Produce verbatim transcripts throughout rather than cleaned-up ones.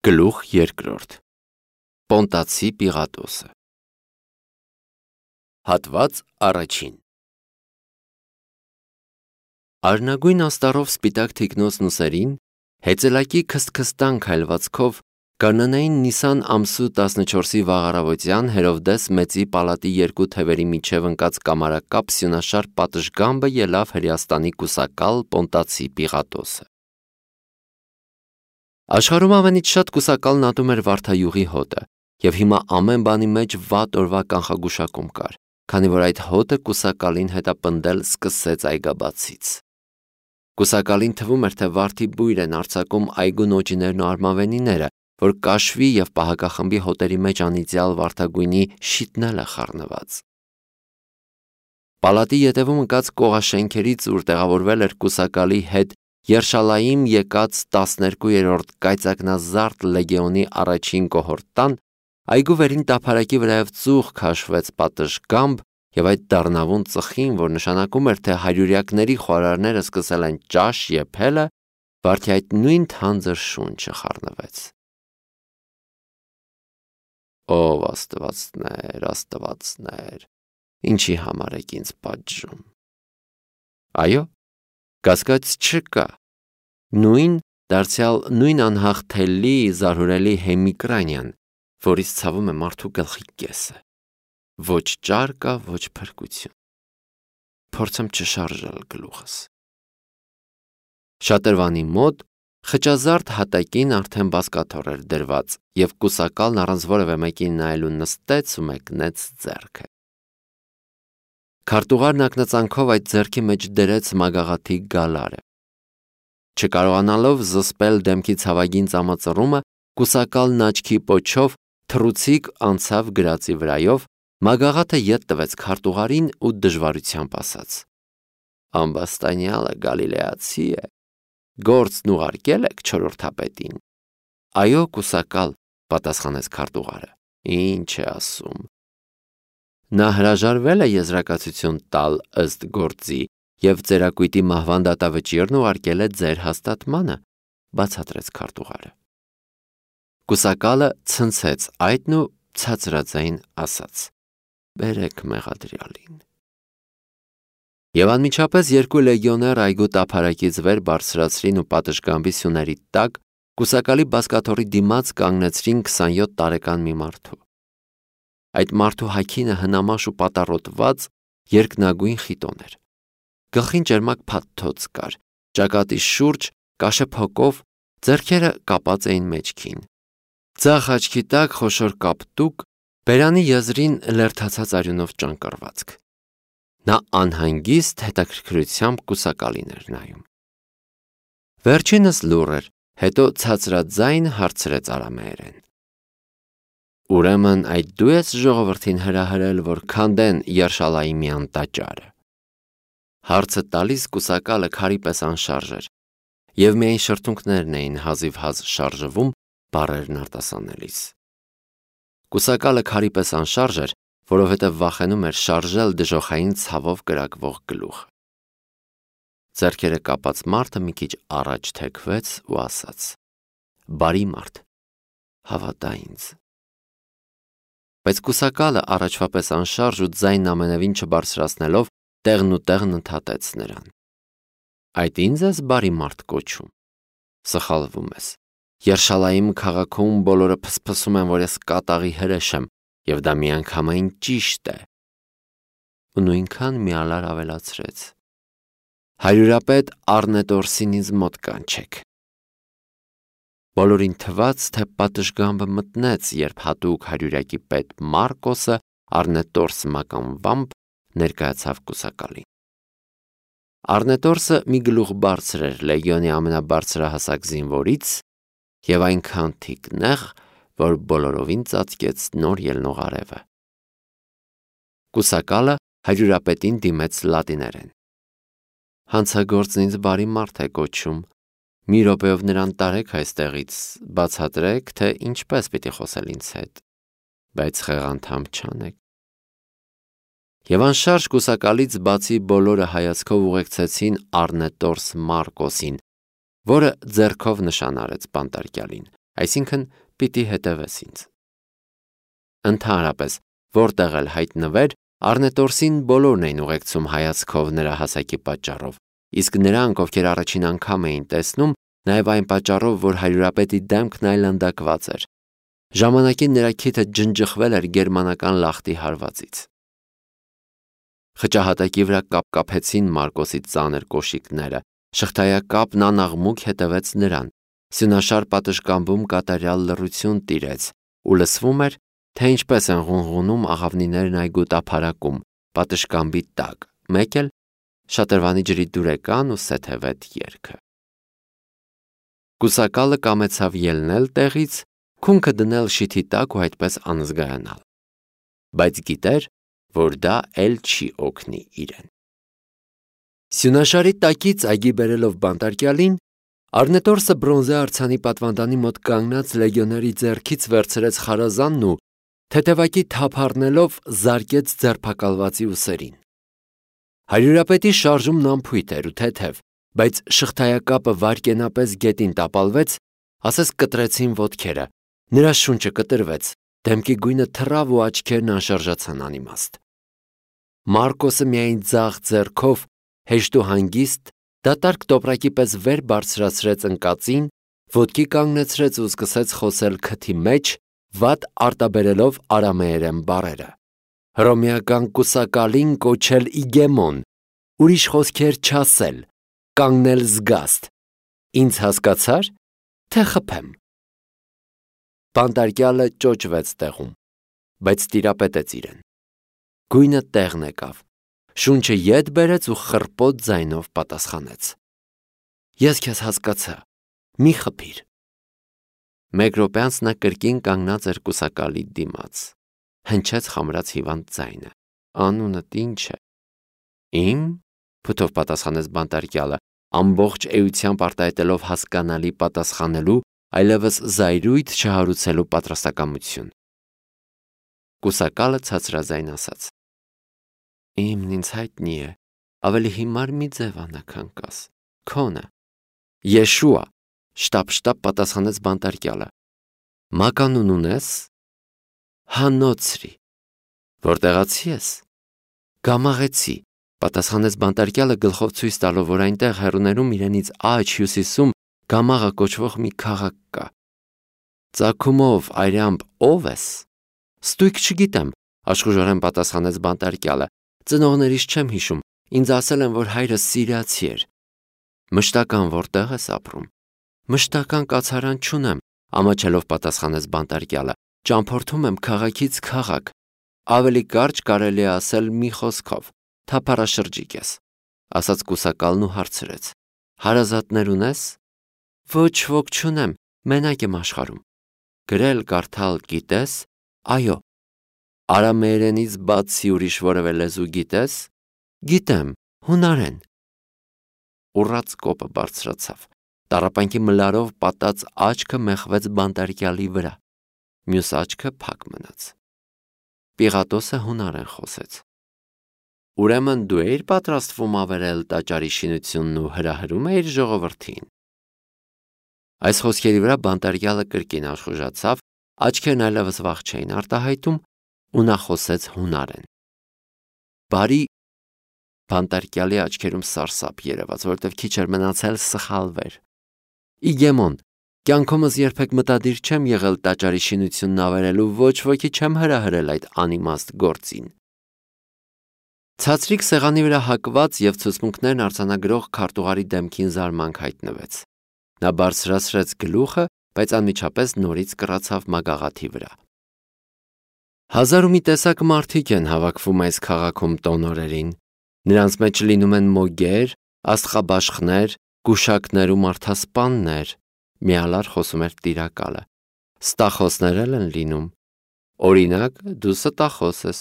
Գլուխ երկրորդ Պոնտացի Պիղատոսը Հատված առաջին Արնագույն աստառով սպիտակ թիկնոցն ուսերին, հեծելակի քստքստան քայլվածքով, կանանային Նիսան ամսու տասնչորսի վաղ-առավոտյան Հերովդես մեծի պալատի երկու թևերի միջև ընկած կամարակապ սյունաշար պատշգամբը ելավ Հրեաստանի կուսակալ Պոնտացի Պիղատոսը։ Աշխարհում ամենից շատ կուսակալն ատում էր վարդայուղի հոտը, և հիմա ամեն բանի մեջ վատ օրվա կանխագուշակում կար, քանի որ այդ հոտը կուսակալին հետապնդել սկսեց այգաբացից։ Կուսակալին թվում էր, թե վարդի բույր են արձակում այգու նոճիներն ու արմավենիները, որ կաշվի և պահակախմբի հոտերի մեջ անիծյալ վարդագույնի շիթնել է խառնված։ Պալատի ետևում ընկած կողաշենքերից, ուր տեղավորվել էր կուսակալի հետ Երշալայիմ եկած տասներկուերորդ կայծակնազարդ լեգեոնի առաջին կոհորտան, այգու վերին տափարակի վրայով ծուխ քաշվեց պատշգամբ, և այդ դառնավուն ծխին, որ նշանակում էր, թե հարյուրյակների խոհարարները սկսել են ճաշ եփելը, վարդի այդ նույն թանձր շունչը խառնվեց։ Ով աստվածներ, աստվածներ, ինչի համար եք ինձ պատժում։ Այո, կասկած չկա, նույն դարձյալ նույն անհաղթելի, զարհուրելի հեմիկրանյան, որից ցավում է մարդու գլխի կեսը, ոչ ճար կա, ոչ փրկություն։ Փորձեմ չշարժել գլուխս։ Շատրվանի մոտ խճազարդ հատակին արդեն բազկաթոռ էր դրված, և կուսակալն առանց որևէ մեկին նայելու նստեց ու մեկնեց ձեռքը։ Քարտուղարն ակնածանքով այդ ձեռքի մեջ դրեց մագաղաթի գալարը։ Չկարողանալով զսպել դեմքի ցավագին ծամածռումը, կուսակալն աչքի պոչով թռուցիկ անցավ գրածի վրայով, մագաղաթը ետ տվեց քարտուղարին ու դժվարությամբ ասաց. «Ամբաստանյալը գալիլեացի է, գործն ուղարկել եք չորրորդապետին»։ «Այո, կուսակալ», պատասխանեց քարտուղարը, «ինչ է ասում»։ Նա հրաժարվել է եզրակացություն տալ ըստ գործի և ծերակույտի մահվան դատավճիռն ուղարկել է ձեր հաստատմանը, բացատրեց քարտուղարը։ Կուսակալը ցնցեց այդն ու ցածրաձայն ասաց. «Բերեք մեղադրյալին»։ Եվ անմիջապես երկու լեգիոներ այգու տափարակից վեր բարձրացրին ու պատշգամբի սյուների տակ կուսակալի բազկաթոռի դիմաց կանգնեցրին քսանյոթ տարեկան մի մարդու։ Այդ մարդու հագինը հնամաշ ու պատառոտված երկնագույն խիտոն էր։ Գլխին ճերմակ փաթթոց կար, ճակատի շուրջ կաշե փոկով, ձեռքերը կապած էին մեջքին։ Ձախ աչքի տակ խոշոր կապտուկ, բերանի եզրին լերդացած արյունով ճանկռվածք։ Նա անհանգիստ հետաքրքրությամբ կուսակալին էր նայում։ Վերջինս լուռ էր, հետո ցածրաձայն հարցրեց արամեերեն. «Ուրեմն այդ դու ես ժողովրդին հրահրել, որ քանդեն Երշալայիմյան տաճարը»։ Հարցը տալիս կուսակալը քարի պես անշարժ էր, և միայն շրթունքներն էին հազիվհազ շարժվում բառերն արտասանելիս։ Կուսակալը քարի պես անշարժ էր, որովհետև վախենում էր շարժել դժոխային ցավով կրակվող գլուխը։ Ձեռքերը կապած մարդը մի քիչ առաջ թեքվեց ու ասաց. «Բարի մարդ, հավատա ինձ»։ Բայց կուսակալը առաջվա պես անշարժ ու ձայնն ամենևին չբարձրացնելով տեղն ու տեղն ընդհատեց նրան. «Այդ ինձ ես բարի մարդ կոչում։ Սխալվում ես։ Երշալայիմ քաղաքում բոլորը փսփսում են, որ ես կատաղի հրեշ եմ, և դա միանգամայն ճիշտ է»։ Ու նույնքան միալար ավելացրեց. «Հարյուրապետ Առնետորսին ինձ մոտ կանչեք»։ Բոլորին թվաց, թե պատշգամբը մտնեց, երբ հատուկ հարյուրյակի պետ Մարկոսը Առնետորս մականվամբ ներկայացավ կուսակալին։ Առնետորսը մի գլուխ բարձր էր լեգիոնի ամենաբարձրահասակ զինվորից և այնքան թիկնեղ, որ բոլորովին ծածկեց նոր ելնող արևը։ Կուսակալը հարյուրապետին դիմեց լատիներեն. «Հանցագործն ինձ բարի մարդ է կոչում, մի րոպեով նրան տարեք այստեղից, բացատրեք, թե ինչպես պիտի խոսել ինձ հետ, բայց խեղանդամ չանեք»։ Եվ անշարժ կուսակալից բացի բոլորը հայացքով ուղեկցեցին Առնետորս Մարկոսին, որը ձեռքով նշան արեց բանտարկյալին, այսինքն պիտի հետևես ինձ։ Ընդհանրապես, որտեղ էլ հայտնվեր, Առնետորսին բոլորն էին ուղեկցում հայացքով նրա հասակի պատճառով, իսկ նրանք, ովքեր առաջին անգամ էին տեսնում, նաև այն պատճառով, որ հարյուրապետի դեմքն այլանդակված էր։ Ժամանակին նրա քիթը ջնջխվել էր գերմանական լախտի հարվածից։ Խճահատակի վրա կապկապեցին Մարկոսի ծանր կոշիկները, շղթայակապն անաղմուկ հետևեց նրան, սյունաշար պատշգամբում կատարյալ լռություն տիրեց, ու լսվում էր, թե ինչպես են ղունղունում աղավնիներն այգու տափարակում, պատշգամբի տակ, մեկ էլ շատրվանի ջրի դուրեկան ու սեթևետ երգը։ Կուսակալը կամեցավ ելնել տեղից, քունքը դնել շիթի տակ ու այդպես անզգայանալ, բայց գիտեր, որ դա էլ չի օգնի իրեն։ Սյունաշարի տակից այգի բերելով բանտարկյալին, Առնետորսը բրոնզե արձանի պատվանդանի մոտ կանգնած լեգիոների ձեռքից վերցրեց խարազանն ու թեթևակի թափ առնելով զարկեց ձերբակալվածի ուսերին։ Հարյուրապետի շարժումն անփույթ էր ու թեթև, բայց շղթայակապը վարկենապես գետին տապալվեց, ասես կտրեցին ոտքերը, նրա շունչը կտրվեց, դեմքի գույնը թռավ ու աչքերն անշարժացան անիմաստ։ Մարկոսը միայն ձախ ձեռքով հեշտ ու հանգիստ դատարկ տոպրակի պես վեր բարձրացրեց ընկածին, ոտքի կանգնեցրեց ու սկսեց խոսել քթի մեջ, վատ արտաբերելով արամեերեն բառերը։ Հռոմեական կուսակալին կոչել Իգեմոն, ուրիշ խոսքեր չասել, կանգնել զգաստ։ Ինձ հասկացա՞ր, թե խփեմ։ Բանտարկյալը ճոճվեց տեղում, բայց տիրապետեց իրեն։ Գույնը տեղն եկավ, շունչը ետ բերեց ու խռպոտ ձայնով պատասխանեց. Ես քեզ հասկացա, մի խփիր։ Մեկ րոպե անց նա կրկին կանգնած էր կուսակալի դիմաց, հնչեց խամրած հիվանդ ձայնը. Անունդ ինչ է։ Իմ, փութով պատասխանեց բանտարկյալը, ամբողջ էությամբ արտահայտելով հասկանալի պատասխանելու, այլևս զայրույթ չհարուցելու պատրաստակամություն։ Կուսակալը ցածրաձայն ասաց. Իմն ինձ հայտնի է, ավելի հիմար մի ձև անակնկաս, քոնը։ Եշուա, շտապ-շտապ պատասխանեց բանտարկյալը։ Մականուն ունես։ Հանոցրի։ Որտեղացի ես։ Գամաղեցի, պատասխանեց բանտարկյալը գլխով ցույց տալով, որ այնտեղ հեռուներում իրենից աջ հյուսիսում Գամաղը կոչվող մի քաղաք կա։ Ծագումով այրամբ ով ես։ Ստույգ չգիտեմ, աշխուժորեն պատասխանեց բանտարկյալը։ Ծնողներիս չեմ հիշում, ինձ ասել են, որ հայրս սիրիացի էր։ Մշտական որտեղ ես ապրում։ Մշտական կացարան չունեմ, ամաչելով պատասխանեց բանտարկյալը։ Ճամփորդում եմ քաղաքից քաղաք։ Ավելի կարճ կարելի է ասել մի խոսքով, թափառաշրջիկ ես, ասաց կուսակալն ու հարցրեց. Հարազատներ ունես։ Ոչ ոք չունեմ, մենակ եմ աշխարհում։ Գրել կարդալ գիտես։ Այո։ Արամեերենից բացի ուրիշ որևէ լեզու գիտես։ Գիտեմ, հունարեն։ Ուռած կոպը բարձրացավ, տառապանքի մլարով պատած աչքը մեխվեց բանտարկյալի վրա, մյուս աչքը փակ մնաց։ Պիղատոսը հունարեն խոսեց։ Ուրեմն դու էիր պատրաստվում ավերել տաճարի շինությունն ու հրահրում էիր ժողովրդին։ Այս խոսքերի վրա բանտարկյալը կրկին աշխուժացավ, աչքերն այլևս վախ չէին արտահայտում, ու նա խոսեց հունարեն։ Բարի բանտարկյալի աչքերում սարսափ երևաց, որտև քիչ էր մնացել սխալվեր։ Իգեմոն, կյանքումս երբեք մտադիր չեմ եղել տաճարի շինությունն ավերելու, ոչ ոքի չեմ հրահրել այդ անիմաստ գործին։ Ցածրիկ սեղանի վրա հակված և ցուցմունքներն արձանագրող քարտուղարի դեմքին զարմանք հայտնվեց։ Նա բարձրացրեց գլուխը, բայց անմիջապես նորից կռացավ մագաղաթի վրա։ Հազար ու մի տեսակ մարդիկ են հավաքվում այս քաղաքում տոնորերին։ Նրանց մեջ լինում են մոգեր, աստղաբաշխներ, գուշակներ ու մարդասպաններ, միալար խոսում էր տիրակալը։ Ստախոսներ էլ են լինում։ Օրինակ, դու ստախոս ես։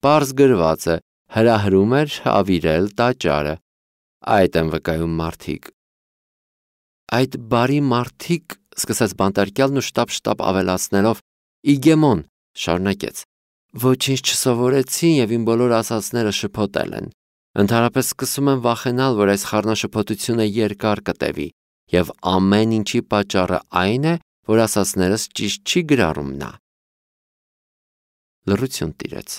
Պարզ գրված է, հրահրում էր ավիրել տաճարը։ Այդ են վկայում մարդիկ։ Այդ բարի մարդիկ, սկսեց բանտարկյալն ու շտապ-շտապ ավելացնելով, Իգեմոն, շարունակեց, ոչինչ չսովորեցին և իմ բոլոր ասածները շփոթել են։ Ընդհանրապես սկսում եմ վախենալ, որ այս խառնաշփոթությունը երկար կտևի, և ամեն ինչի պատճառը այն է, որ ասածներս ճիշտ չի գրառում նա։ Լռություն տիրեց։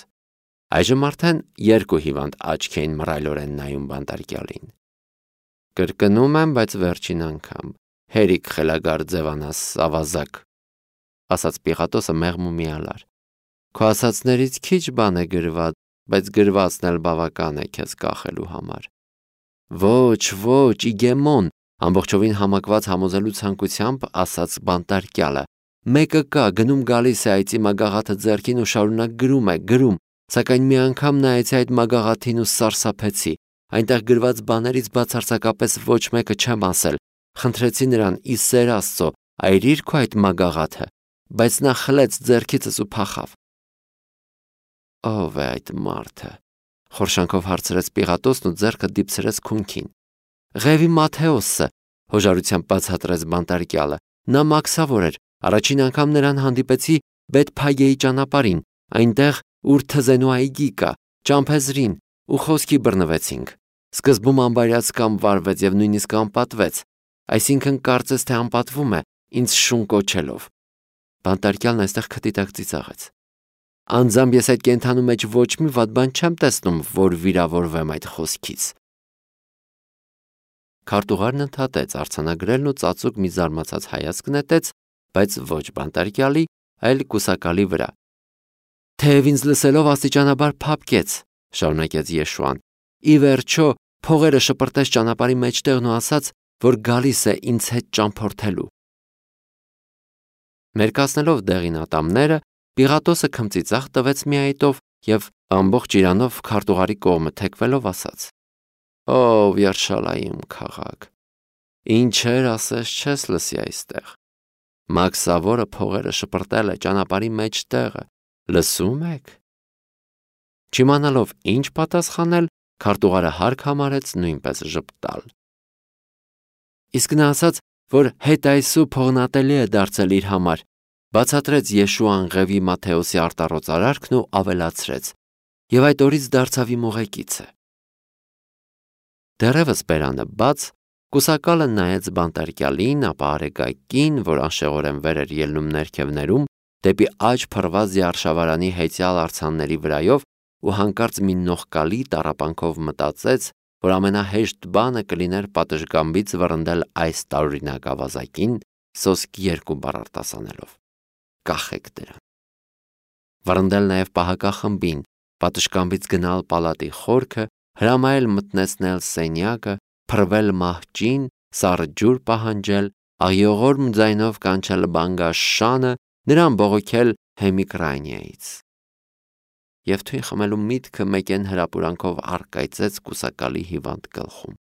Այժմ արդեն երկու հիվանդ աչք էին մռայլորեն նայում բանտարկյալին։ Կրկնում եմ, բայց վերջին անգամ, հերիք խելագար ձևանաս ավազակ, ասաց Պիղատոսը մեղմ ու միալար։ Քո ասածներից քիչ բան է գրված, բայց գրվածն էլ բավական է քեզ կախելու համար։ Ոչ, ոչ, Իգեմոն, ամբողջովին համակված համոզելու ցանկությամբ ասաց բանտարկյալը։ Մեկը կա, գնում գալիս է այծի մագաղաթը ձեռքին ու շարունակ գրում է, գրում, սակայն մի անգամ նայեցի այդ մագաղաթին ու սարսափեցի։ Այնտեղ գրված բաներից բացարձակապես ոչ մեկը չեմ ասել։ Խնդրեցի նրան՝ ի սեր Աստծո, այրիր քո այդ մագաղաթը, բայց նա խլեց ձեռքիցս ու փախավ։ Ո՞վ է այդ մարդը, խորշանքով հարցրեց Պիղատոսն ու ձեռքը դիպցրեց քունքին։ Ղևի Մատթեոսը, հոժարությամբ բացատրեց բանտարկյալը։ Նա մաքսավոր էր, առաջին անգամ նրան հանդիպեցի Բեթփագեի ճանապարհին, այնտեղ, ուր թզենու այգի կա, ճամփեզրին, ու խոսքի բռնվեցինք։ Սկզբում ամբարյացկամ վարվեց եւ նույնիսկ անպատվեց, այսինքն կարծես թե անպատվում է, ինձ շուն կոչելով։ Բանտարկյալն այստեղ քթի տակ ծիծաղեց։ Անձամբ ես այդ կենդանու մեջ ոչ մի վատ բան չեմ տեսնում, որ վիրավորվեմ այդ խոսքից։ Քարտուղարն ընդհատեց արձանագրելն ու ծածուկ մի զարմացած հայացք նետեց, բայց ոչ բանտարկյալի, այլ կուսակալի վրա։ Թեև ինձ լսելով աստիճանաբար փափկեց, շարունակեց Եշուան։ Ի վերջո փողերը շպրտեց ճանապարհի մեջտեղն ու ասաց, որ գալիս է ինձ հետ ճամփորդելու։ Մերկացնելով դեղին ատամները, Պիղատոսը քմծիծաղ տվեց մի այտով եւ ամբողջ իրանով քարտուղարի կողմը թեքվելով ասաց. Ով Երշալայիմ քաղաք, ինչեր ասես չես լսի այստեղ։ Մաքսավորը փողերը շպրտել է ճանապարհի մեջտեղը, լսում եք։ Չիմանալով ինչ պատասխանել, քարտուղարը հարկ համարեց նույնպես ժպտալ։ Իսկ նա ասաց, որ հետայսու փողնատելի է դարձել իր համար, բացատրեց Եշուան Ղևի Մատթեոսի արտառոց արարքն ու ավելացրեց. Եվ այդ օրից դարձավ իմ ուղեկիցը։ Դեռևս բերանը բաց, կուսակալը նայեց բանտարկյալին, ապա արեգակին, որ անշեղորեն վեր էր ելնում ներքևներում, դեպի աջ փռված Յարշավարանի հեծյալ արձանների վրայով ու հանկարծ մի նողկալի տառապանքով մտածեց, որ ամենահեշտ բանը կլիներ պատշգամբից վռնդել այս տարօրինակ ավազակին, սոսկ երկու բառ արտասանելով։ Կախեք դրան։ Վռնդել նաև պահակախմբին, պատշգամբից գնալ պալատի խորքը, հրամայել մտնեցնել սենյակը, փռվել մահճին, սառը ջուր պահանջել, աղիողորմ ձայնով կանչել բանգաշանը, նրան բողոքել Հեմիկրայնիայից։ Եվ թույն խմելու միտքը մեկեն հրապուրանքով առկայծեց կուսակալի հիվանդ գլխում։